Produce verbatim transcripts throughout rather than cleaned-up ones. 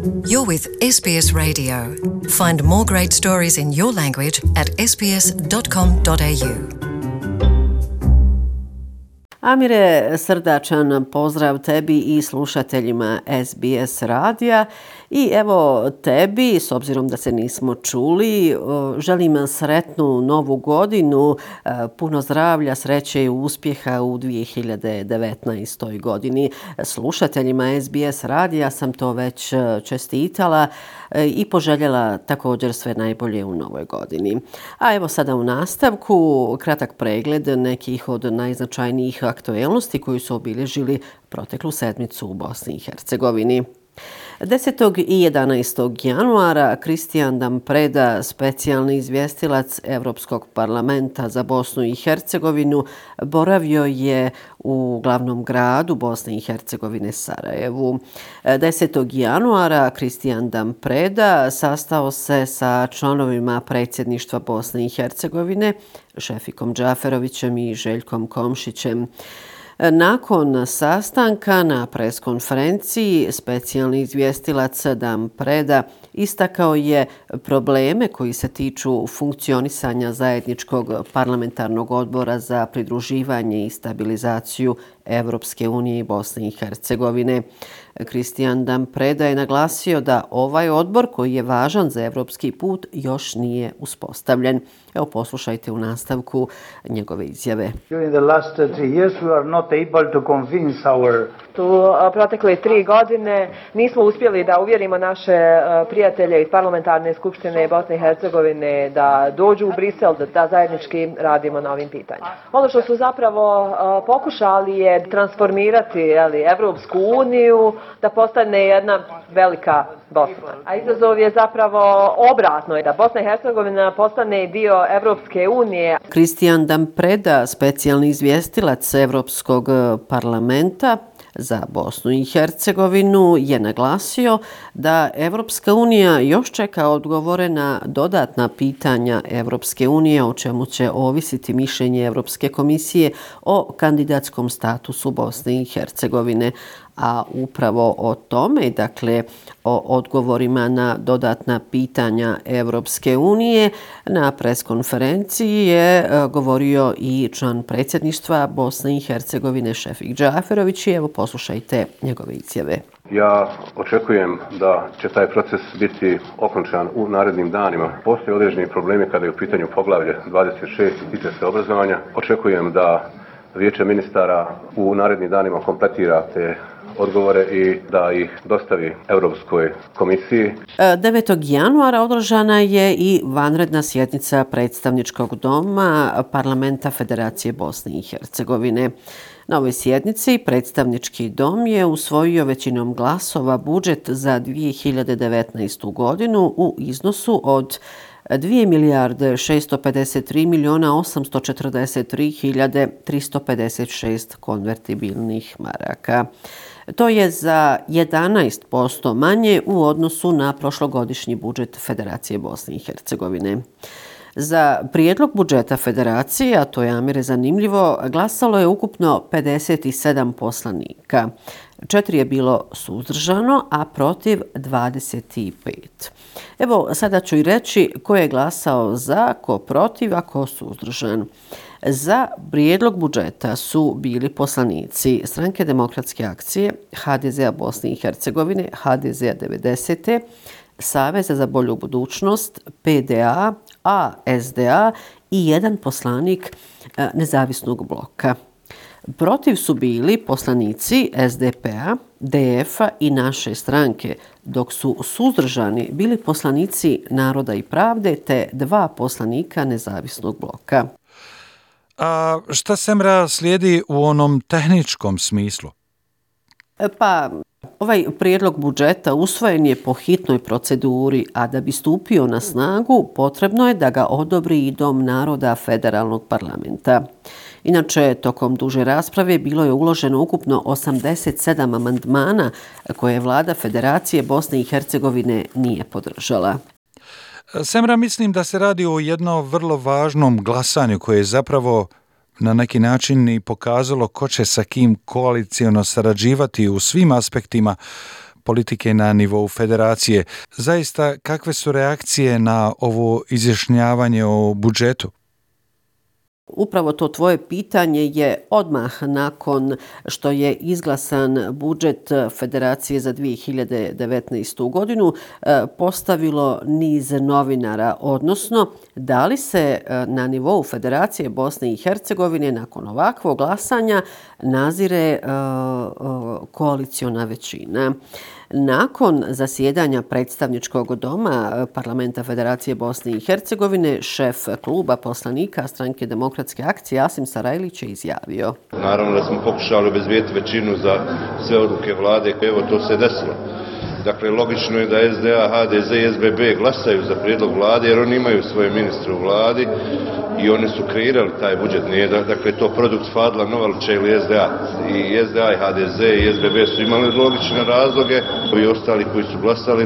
You're with S B S Radio. Find more great stories in your language at s b s dot com dot a u. Amire, srdačan pozdrav tebi i slušateljima S B S radija. I evo tebi, s obzirom da se nismo čuli, želim sretnu novu godinu, puno zdravlja, sreće i uspjeha u dvije hiljade devetnaestoj. godini. Slušateljima S B S radija sam to već čestitala i poželjela također sve najbolje u novoj godini. A evo sada u nastavku kratak pregled nekih od najznačajnijih aktuelnosti koji su obilježili proteklu sedmicu u Bosni i Hercegovini. desetog i jedanaestog januara Kristijan Dampreda, specijalni izvjestilac Europskog parlamenta za Bosnu i Hercegovinu, boravio je u glavnom gradu Bosne i Hercegovine, Sarajevu. desetog januara Kristijan Dampreda sastao se sa članovima predsjedništva Bosne i Hercegovine, Šefikom Džaferovićem i Željkom Komšićem. Nakon sastanka na preskonferenciji specijalni izvjestilac Dampreda istakao je probleme koji se tiču funkcionisanja zajedničkog parlamentarnog odbora za pridruživanje i stabilizaciju Evropske unije i Bosne i Hercegovine. Kristijan Dampreda je naglasio da ovaj odbor, koji je važan za evropski put, još nije uspostavljen. Evo, poslušajte u nastavku njegove izjave. U protekle tri godine nismo uspjeli da uvjerimo naše prijatelje iz parlamentarne skupštine Bosne i Hercegovine da dođu u Brisel, da, da zajednički radimo na ovim pitanjima. Ono što su zapravo pokušali je transformirati jeli, Evropsku uniju da postane jedna velika Bosna. A izazov je zapravo obratno, da Bosna i Hercegovina postane dio Evropske unije. Kristijan Dampreda, specijalni izvjestilac Evropskog parlamenta za Bosnu i Hercegovinu, je naglasio da Evropska unija još čeka odgovore na dodatna pitanja Evropske unije, o čemu će ovisiti mišljenje Evropske komisije o kandidatskom statusu Bosne i Hercegovine. A upravo o tome, dakle o odgovorima na dodatna pitanja Evropske unije, na preskonferenciji je govorio i član predsjedništva Bosne i Hercegovine Šefik Džaferović. Evo, poslušajte njegove izjave. Ja očekujem da će taj proces biti okončan u narednim danima. Postoje određeni problemi kada je u pitanju poglavlje dvadeset šest i tiče se obrazovanja. Očekujem da Vijeće ministara u narednim danima kompletira te odgovore i da ih dostavi Europskoj komisiji. devetog januara održana je i vanredna sjednica predstavničkog doma Parlamenta Federacije Bosne i Hercegovine. Na ovoj sjednici predstavnički dom je usvojio većinom glasova budžet za dvije hiljade devetnaestu. godinu u iznosu od dvije milijarde šesto pedeset tri milijuna osamsto četrdeset tri hiljade tristo pedeset šest konvertibilnih maraka. To je za jedanaest posto manje u odnosu na prošlogodišnji budžet Federacije Bosne i Hercegovine. Za prijedlog budžeta Federacije, a to je, Amire, zanimljivo, glasalo je ukupno pedeset sedam poslanika. Četiri je bilo suzdržano, a protiv dvadeset pet. Evo, sada ću i reći ko je glasao za, ko protiv, a ko suzdržan. Za prijedlog budžeta su bili poslanici Stranke demokratske akcije, H D Z-a Bosne i Hercegovine, H D Z-a devedesete. Saveza za bolju budućnost, P D A, A S D A i jedan poslanik nezavisnog bloka. Protiv su bili poslanici S D P-a, D F-a i naše stranke, dok su suzdržani bili poslanici Naroda i pravde te dva poslanika nezavisnog bloka. A šta Semra slijedi u onom tehničkom smislu? Pa, ovaj prijedlog budžeta usvojen je po hitnoj proceduri, a da bi stupio na snagu potrebno je da ga odobri i Dom naroda Federalnog parlamenta. Inače, tokom duže rasprave bilo je uloženo ukupno osamdeset sedam amandmana koje vlada Federacije Bosne i Hercegovine nije podržala. Semra, mislim da se radi o jednom vrlo važnom glasanju koje je zapravo na neki način i pokazalo ko će sa kim koalicijono sarađivati u svim aspektima politike na nivou federacije. Zaista, kakve su reakcije na ovo izjašnjavanje o budžetu? Upravo to tvoje pitanje je odmah nakon što je izglasan budžet Federacije za dvije hiljade devetnaestu. godinu postavilo niz novinara, odnosno da li se na nivou Federacije Bosne i Hercegovine nakon ovakvog glasanja nazire koaliciona većina. Nakon zasjedanja predstavničkog doma Parlamenta Federacije Bosne i Hercegovine, šef kluba poslanika Stranke demokratske akcije Asim Sarajlić je izjavio: Naravno da smo pokušali obezbijeti većinu za sve odluke vlade, evo to se desilo. Dakle, logično je da S D A, H D Z i S B B glasaju za prijedlog vlade jer oni imaju svoje ministre u vladi i oni su kreirali taj budžet. Nije, dakle, to produkt Fadla Novaluća ili S D A. I S D A i H D Z i S B B su imali logične razloge, i ostali koji su glasali,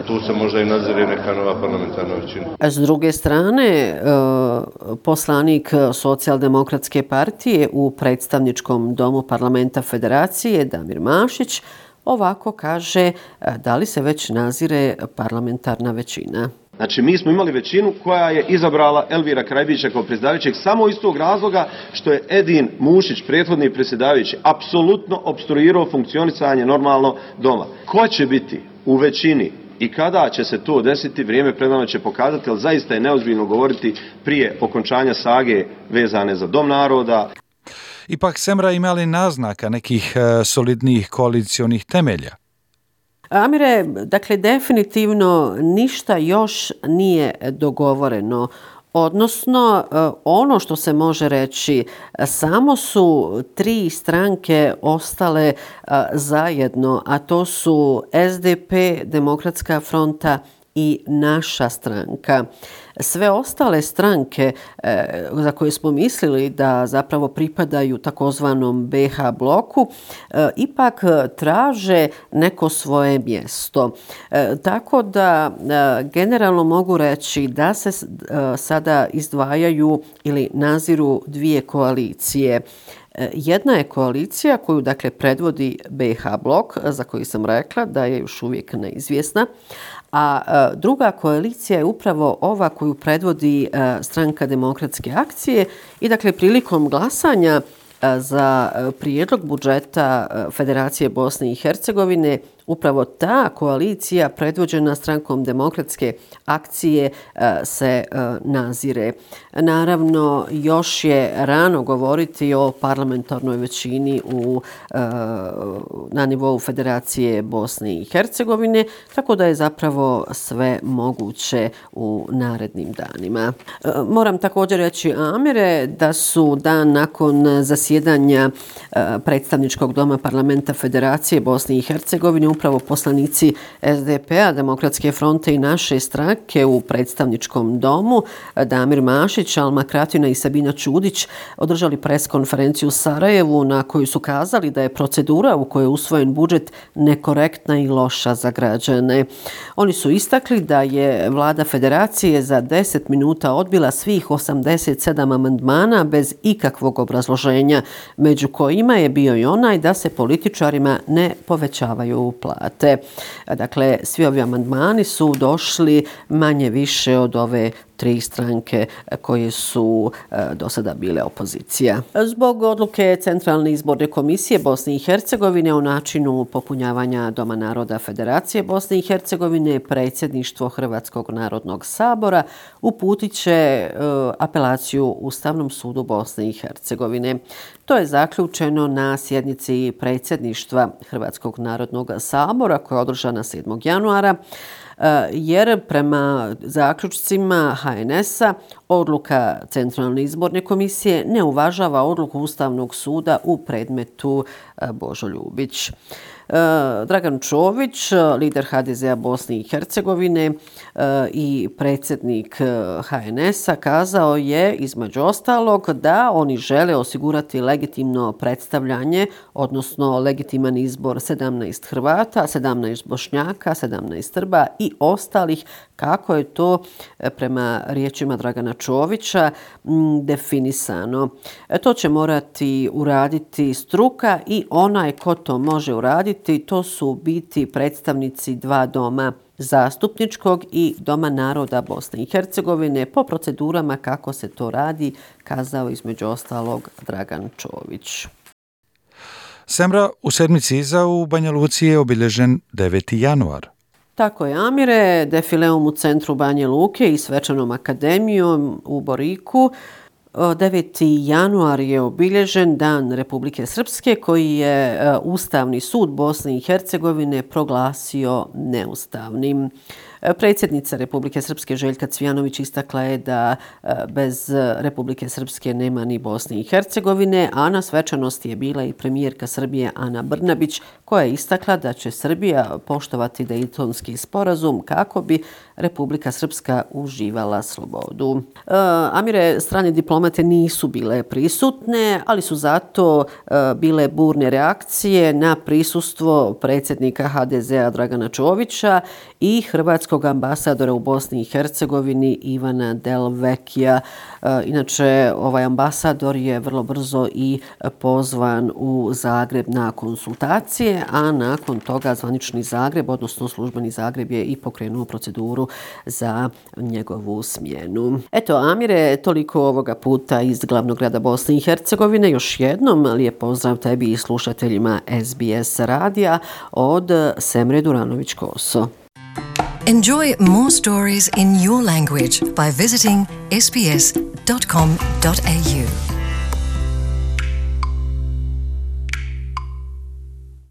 tu se možda i nazire neka nova parlamentarna većina. S druge strane, poslanik Socijaldemokratske partije u predstavničkom domu Parlamenta Federacije Damir Mašić ovako kaže da li se već nazire parlamentarna većina. Znači, mi smo imali većinu koja je izabrala Elvira Krajbića kao predsjedavajućeg samo iz tog razloga što je Edin Mušić, prethodni predsjedavajući, apsolutno opstruirao funkcionisanje normalno doma. Ko će biti u većini i kada će se to desiti, vrijeme pred nama će pokazati, ali zaista je neozbiljno govoriti prije okončanja sage vezane za Dom naroda. Ipak, Semra, ima li naznaka nekih uh, solidnijih koalicionih temelja? Amire, dakle, definitivno ništa još nije dogovoreno. Odnosno, ono što se može reći, samo su tri stranke ostale zajedno, a to su S D P, Demokratska fronta i naša stranka. Sve ostale stranke e, za koje smo mislili da zapravo pripadaju takozvanom B H bloku, e, ipak traže neko svoje mjesto. E, tako da e, generalno mogu reći da se e, sada izdvajaju ili naziru dvije koalicije. Jedna je koalicija koju dakle predvodi B H blok, za koju sam rekla da je još uvijek neizvjesna, a druga koalicija je upravo ova koju predvodi Stranka demokratske akcije i dakle prilikom glasanja za prijedlog budžeta Federacije Bosne i Hercegovine upravo ta koalicija predvođena Strankom demokratske akcije se nazire. Naravno, još je rano govoriti o parlamentarnoj većini u, na nivou Federacije Bosne i Hercegovine, tako da je zapravo sve moguće u narednim danima. Moram također reći, Amire, da su dan nakon zasjedanja predstavničkog doma Parlamenta Federacije Bosne i Hercegovine upravo poslanici S D P-a, Demokratske fronte i naše stranke u predstavničkom domu, Damir Mašić, Alma Kratina i Sabina Čudić, održali pres konferenciju u Sarajevu na kojoj su kazali da je procedura u kojoj je usvojen budžet nekorektna i loša za građane. Oni su istakli da je vlada Federacije za deset minuta odbila svih osamdeset sedam amandmana bez ikakvog obrazloženja, među kojima je bio i onaj da se političarima ne povećavaju plate. Dakle, svi ovi amandmani su došli manje više od ove tri stranke koje su do sada bile opozicija. Zbog odluke Centralne izborne komisije Bosne i Hercegovine o načinu popunjavanja Doma naroda Federacije Bosne i Hercegovine, predsjedništvo Hrvatskog narodnog sabora uputit će apelaciju Ustavnom sudu Bosne i Hercegovine. To je zaključeno na sjednici predsjedništva Hrvatskog narodnog sabora koja je održana sedmog januara, jer prema zaključcima H N S-a odluka Centralne izborne komisije ne uvažava odluku Ustavnog suda u predmetu Božo Ljubić. Dragan Čović, lider H D Z-a Bosne i Hercegovine i predsjednik H N S-a, kazao je između ostalog da oni žele osigurati legitimno predstavljanje, odnosno legitiman izbor sedamnaest Hrvata, sedamnaest Bošnjaka, sedamnaest Srba i ostalih, kako je to prema riječima Dragana Čovića definisano. To će morati uraditi struka i onaj ko to može uraditi raditi, to su biti predstavnici dva doma, zastupničkog i Doma naroda Bosne i Hercegovine, po procedurama kako se to radi, kazao između ostalog Dragan Čović. Semra, u sedmici iza u Banja Luci je obilježen deveti januar. Tako je, Amire, defileom u centru Banje Luke i svečanom akademijom u Boriku. deveti januar je obilježen Dan Republike Srpske koji je Ustavni sud Bosne i Hercegovine proglasio neustavnim. Predsjednica Republike Srpske Željka Cvijanović istakla je da bez Republike Srpske nema ni Bosne i Hercegovine, a na svečanosti je bila i premijerka Srbije Ana Brnabić koja je istakla da će Srbija poštovati Dejtonski sporazum kako bi Republika Srpska uživala slobodu. E, Amire, strane diplomate nisu bile prisutne, ali su zato e, bile burne reakcije na prisustvo predsjednika ha de zea Dragana Čovića i hrvatskog ambasadora u Bosni i Hercegovini Ivana Delvekija. E, inače, ovaj ambasador je vrlo brzo i pozvan u Zagreb na konsultacije, a nakon toga zvanični Zagreb, odnosno službeni Zagreb, je i pokrenuo proceduru za njegovu smjenu. Eto, Amire, toliko ovoga puta iz glavnog grada Bosne i Hercegovine. Još jednom lijep pozdrav tebi i slušateljima es be es radija od Semre Duranović-Koso. Enjoy more stories in your language by visiting s b s dot com dot a u.